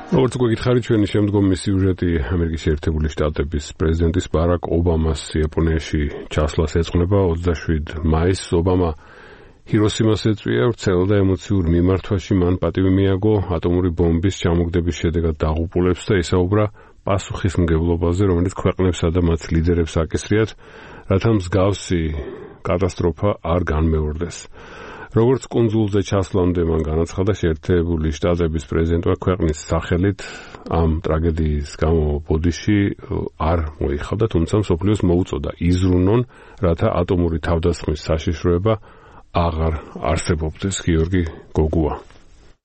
როგორც გვეკითხარი ჩვენი შემდგომი სიუჟეტი ამერიკის შეერთებული შტატების პრეზიდენტის ბარაკ ობამას იაპონიაში ჩასვლას ეძღვნება 27 მაისს. ობამა ჰიროსიმას ეწვია, ვრცელ და ემოციურ მიმართვაში მან პატივი მიაგო ატომური ბომბის ჩამოგდების შედეგად დაღუპულებს და ისაუბრა პასუხისმგებლობაზე, რომელიც ქვეყნებსა და მათ ლიდერებს აკისრიათ, რათა მსგავსი კატასტროფა არ განმეორდეს. როგორც კუნძულზე ჩასვლამდე მან განაცხადა, შეერთებული შტატების პრეზიდენტმა ქვეყნის სახელით ამ ტრაგედიის გამო ბოდიში არ მოიხადა, თუმცა მსოფლიოს მოუწოდა იზრუნონ, რათა ატომური თავდასხმის საშიშროება აღარ არსებობდეს. გიორგი გოგუა.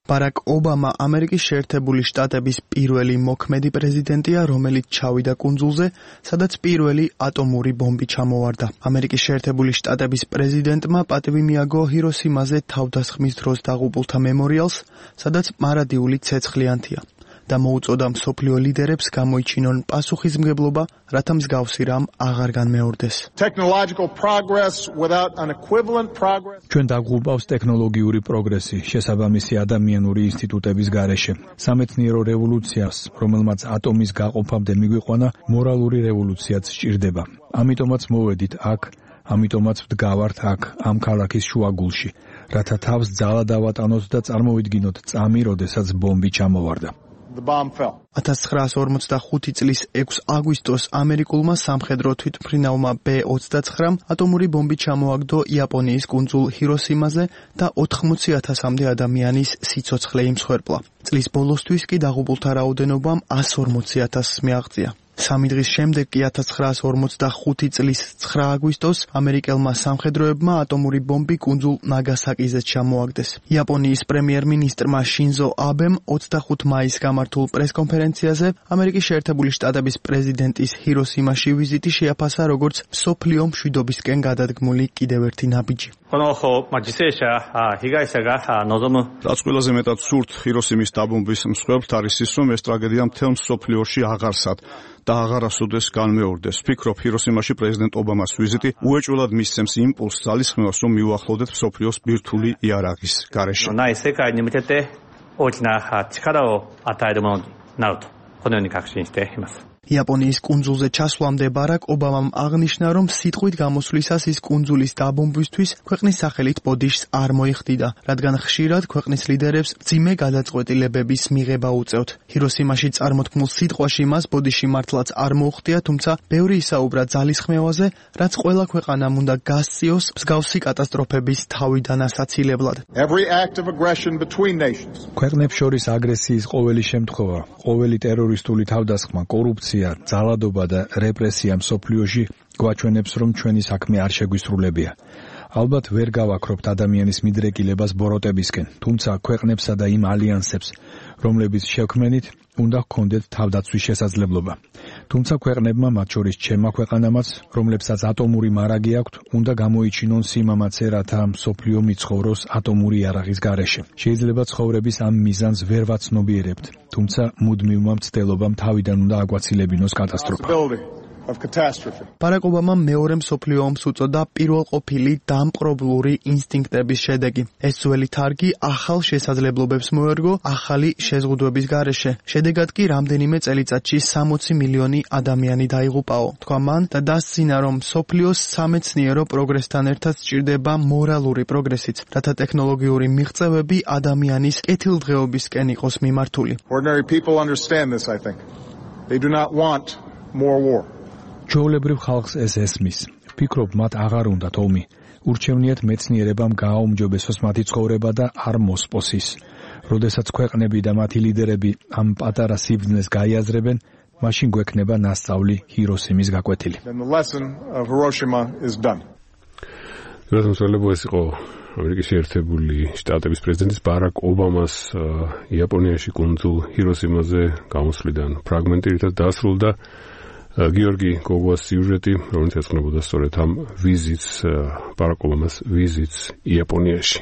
ბარაკ ობამა ამერიკის შეერთებული შტატების პირველი მოქმედი პრეზიდენტია, რომელიც ჩავიდა კუნძულზე, სადაც პირველი ატომური ბომბი ჩამოვარდა. ამერიკის შეერთებული შტატების პრეზიდენტმა პატივი მიაგო ჰიროსიმაზე თავდასხმის დროს დაღუპულთა მემორიალს, სადაც მარადიული ცეცხლი ანთია და მოუწოდა მსოფლიო ლიდერებს გამოიჩინონ პასუხისმგებლობა, რათა მსგავსი რამ აღარ განმეორდეს. ჩვენ დაგვყურავს ტექნოლოგიური პროგრესი შესაბამისი ადამიანური ინსტიტუტების გარეშე. სამეცნიერო რევოლუციას, რომელმაც ატომის გაყოფამდე მიგვიყვანა, მორალური რევოლუციაც სჭირდება. ამიტომაც მოვედით აქ, ამიტომაც ვდგავართ აქ, ამ ქალაქის შუაგულში, რათა თავს ძალა დავატანოთ და წარმოვიდგინოთ წამი, როდესაც ბომბი ჩამოვარდა. 1945 წლის 6 აგვისტოს ამერიკულმა სამხედრო თვითმფრინავმა B-29 ატომური ბომბი ჩამოაგდო იაპონიის კუნძულ ჰიროსიმაზე და 80,000-მდე ადამიანის სიცოცხლე იმსხვერპლა. წლის ბოლოსთვის კი დაღუპულთა რაოდენობამ 140,000-ს მიაღწია. 3 დღის შემდეგ კი 1945 წლის 9 აგვისტოს ამერიკელმა სამხედროებმა ატომური ბომბი კუნძულ ნაგასაკიზე ჩამოაგდეს. იაპონიის პრემიერ-მინისტრმა შინზო აბემ 25 მაისს გამართულ პრესკონფერენციაზე ამერიკის შეერთებული შტატების პრეზიდენტის ჰიროსიმაში ვიზიტი შეაფასა როგორც მსოფლიო მშვიდობისკენ გადადგმული კიდევ ერთი ნაბიჯი. რაც ყველაზე მეტად სურთ ჰიროსიმის დაბომბვის მსხვერპლთ არის ის, რომ ეს ტრაგედია მთელ მსოფლიოში აღარსად და აღარასოდეს განმეორდეს. ვფიქრობ, ჰიროსიმაში პრეზიდენტ ობამას ვიზიტი უეჭველად მისცემს იმპულსს ძალისხმევას, რომ მივახლოვდეთ მსოფლიოს ბირთვული იარაღის გარეშე. იაპონიის კუნძულზე ჩასვლამდე ბარაკ ობამამ აღნიშნა, რომ სიტყვით გამოსვლისას ის კუნძულის დაბომბვისთვის ქვეყნის სახელით ბოდიშს არ მოიხდიდა, რადგან ხშირად ქვეყნის ლიდერებს მძიმე გადაწყვეტილებების მიღება უწევთ. ჰიროსიმაში წარმოთქმულ სიტყვაში მას ბოდიში მართლაც არ მოუხდია, თუმცა ბევრი ისაუბრა ძალისხმევაზე, რაც ყველა ქვეყანამ უნდა გასწიოს მსგავსი კატასტროფების თავიდან ასაცილებლად. ქვეყნებს შორის აგრესიის ყოველი შემთხვევა, ყოველი ტერორისტული თავდასხმა, კორუფცია, ძალადობა და რეპრესია მსოფლიოში გვაჩვენებს, რომ ჩვენი საქმე არ შეგვისრულებია. ალბათ ვერ გავაქრობთ ადამიანის მიდრეკილებას ბოროტებისკენ, თუმცა ქვეყნებსა და იმ ალიანსებს, რომლებიც შექმნით, უნდა ჰქონდეთ თავდაცვის შესაძლებლობა. თუმცა ქვეყნებმა, მათ შორის ჩემმა ქვეყანამაც, რომლებსაც ატომური მარაგი აქვთ, უნდა გამოიჩინონ სიმამაცე, რათა მსოფლიო მიცხოვროს ატომური იარაღის გარეშე. შეიძლება ცხოვრების ამ მიზანს ვერ ვაცნობიერებთ, თუმცა მუდმივმა მცდელობამ თავიდან უნდა აგვაცილებინოს კატასტროფა. ბარაკ ობამამ მეორე მსოფლიო ომს უწოდა პირველყოფილი დამპყრობლური ინსტინქტების შედეგი. ეს ძველი თარგი ახალ შესაძლებლობებს მოერგო ახალი შეზღუდვების გარეშე. შედეგად კი რამდენიმე წელიწადში 60 მილიონი ადამიანი დაიღუპაო. თქვა მან და დასძინა, რომ მსოფლიოს სამეცნიერო პროგრესთან ერთად სჭირდება მორალური პროგრესიც, რათა ტექნოლოგიური მიღწევები ადამიანის კეთილდღეობისკენ იყოს მიმართული. ჩვეულებრივ ხალხს ეს ესმის. ვფიქრობ, მათ აღარ უნდათ ომი. ურჩევნიათ მეცნიერებამ გააუმჯობესოს მათი ცხოვრება და არ მოსპოს ის. როდესაც ქვეყნები და მათი ლიდერები ამ პატარა სიბრძნეს გაიაზრებენ, მაშინ გვექნება ნასწავლი ჰიროსიმის გაკვეთილი. ეს იყო ამერიკის შეერთებული შტატების პრეზიდენტის ბარაკ ობამას იაპონიაში კუნძულ ჰიროსიმაზე გამოსვლიდან ფრაგმენტი, რითაც დაასრულდა გიორგი გოგუას სიუჟეტი, რომელიც ეძღვნებოდა სწორედ ამ ვიზიტს, ბარაკ ობამას ვიზიტს იაპონიაში.